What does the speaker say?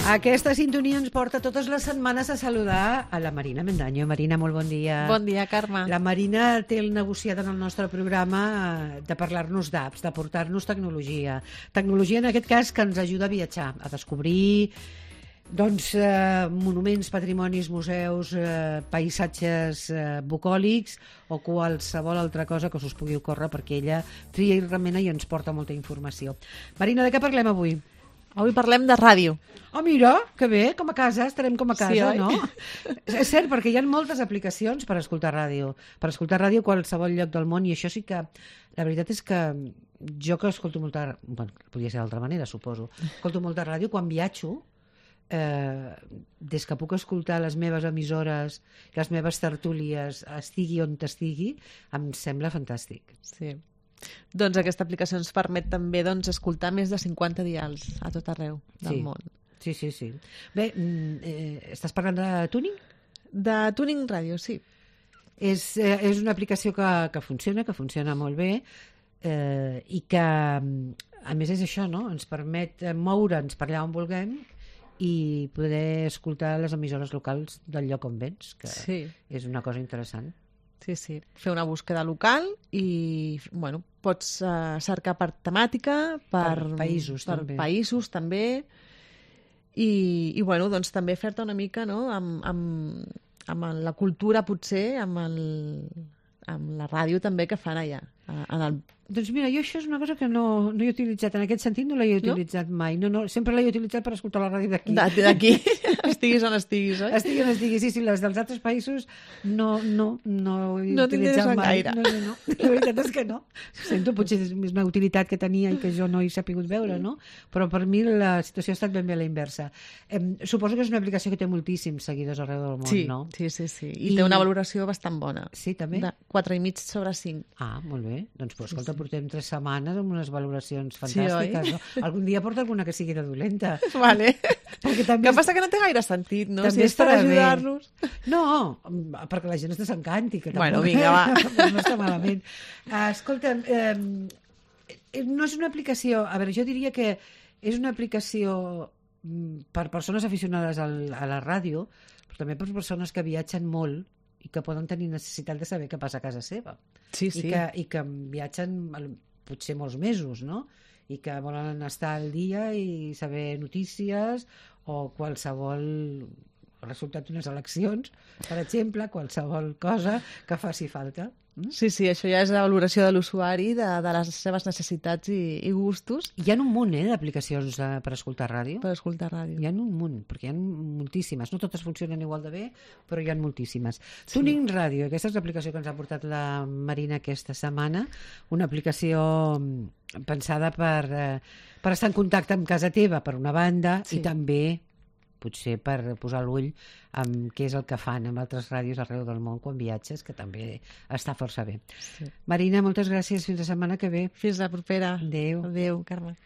Aquesta sintonia ens porta totes les setmanes a saludar a la Marina Mendaño. Marina, molt bon dia. Bon dia, Carme. La Marina té el negociat en el nostre programa de parlar-nos d'apps, de portar-nos tecnologia. Tecnologia, en aquest cas, que ens ajuda a viatjar, a descobrir monuments, patrimonis, museus, paisatges bucòlics o qualsevol altra cosa que us pugui ocórrer, perquè ella tria i remena i ens porta molta informació. Marina, de què parlem avui? Avui parlem de ràdio. Oh, mira, que bé, com a casa, estarem com a casa, Sí, oi? no? És cert, perquè hi ha moltes aplicacions per escoltar ràdio. Per escoltar ràdio a qualsevol lloc del món, i això sí que... La veritat és que jo que escolto molta... Bueno, podria ser d'altra manera, suposo. Escolto molta ràdio quan viatjo, des que puc escoltar les meves emissores, les meves tertúlies, estigui on estigui, em sembla fantàstic. Sí. Doncs aquesta aplicació ens permet també escoltar més de 50 dials a tot arreu del món. Sí. Bé, estàs parlant de Tuning? De Tuning Radio, sí. És una aplicació que funciona molt bé, i que, a més, és això, no? Ens permet moure'ns per allà on vulguem i poder escoltar les emissores locals del lloc on vens, que és una cosa interessant. Sí. Fer una búsqueda local i, pots cercar per temàtica, per països, també. I també fer-te una mica, no?, amb la cultura, potser, amb la ràdio també que fan allà. Doncs mira, jo això és una cosa que no he utilitzat. En aquest sentit no l'he utilitzat mai. No, sempre l'he utilitzat per escoltar la ràdio d'aquí. D'aquí, estiguis on estiguis, oi? Estiguis on estiguis, sí. Les dels altres països no he utilitzat mai. Gaire. No. La veritat és que no. Sento, potser és una utilitat que tenia i que jo no he sapigut veure, no? Però per mi la situació ha estat ben bé a la inversa. Suposo que és una aplicació que té moltíssims seguidors arreu del món, no? Sí. I té una valoració bastant bona. Sí, també? De 4,5 sobre 5. Ah, molt bé. Doncs, escolta, portem 3 setmanes amb unes valoracions fantàstiques. Sí, no? Algun dia porta alguna que sigui de dolenta. Vale. També que passa que no té gaire sentit, no? També si és per ajudar-los. No, perquè la gent es desencanti. Que Vinga, va. No està malament. Escolta, no és una aplicació... A veure, jo diria que és una aplicació per persones aficionades a la ràdio, però també per persones que viatgen molt i que poden tenir necessitat de saber què passa a casa seva. Sí. I que viatgen potser molts mesos, no? I que volen estar al dia i saber notícies o qualsevol resultat d'unes eleccions, per exemple, qualsevol cosa que faci falta. Sí, això ja és la valoració de l'usuari, de les seves necessitats i gustos. Hi ha un munt d'aplicacions per escoltar ràdio. Per escoltar ràdio. Hi ha un munt, perquè hi ha moltíssimes. No totes funcionen igual de bé, però hi ha moltíssimes. Sí. Tuning Radio, aquesta és l'aplicació que ens ha portat la Marina aquesta setmana, una aplicació pensada per estar en contacte amb casa teva, per una banda, i també potser per posar l'ull amb què és el que fan amb altres ràdios arreu del món quan viatges, que també està força bé. Sí. Marina, moltes gràcies. Fins la setmana que ve. Fins la propera. Adéu. Adéu, Carme.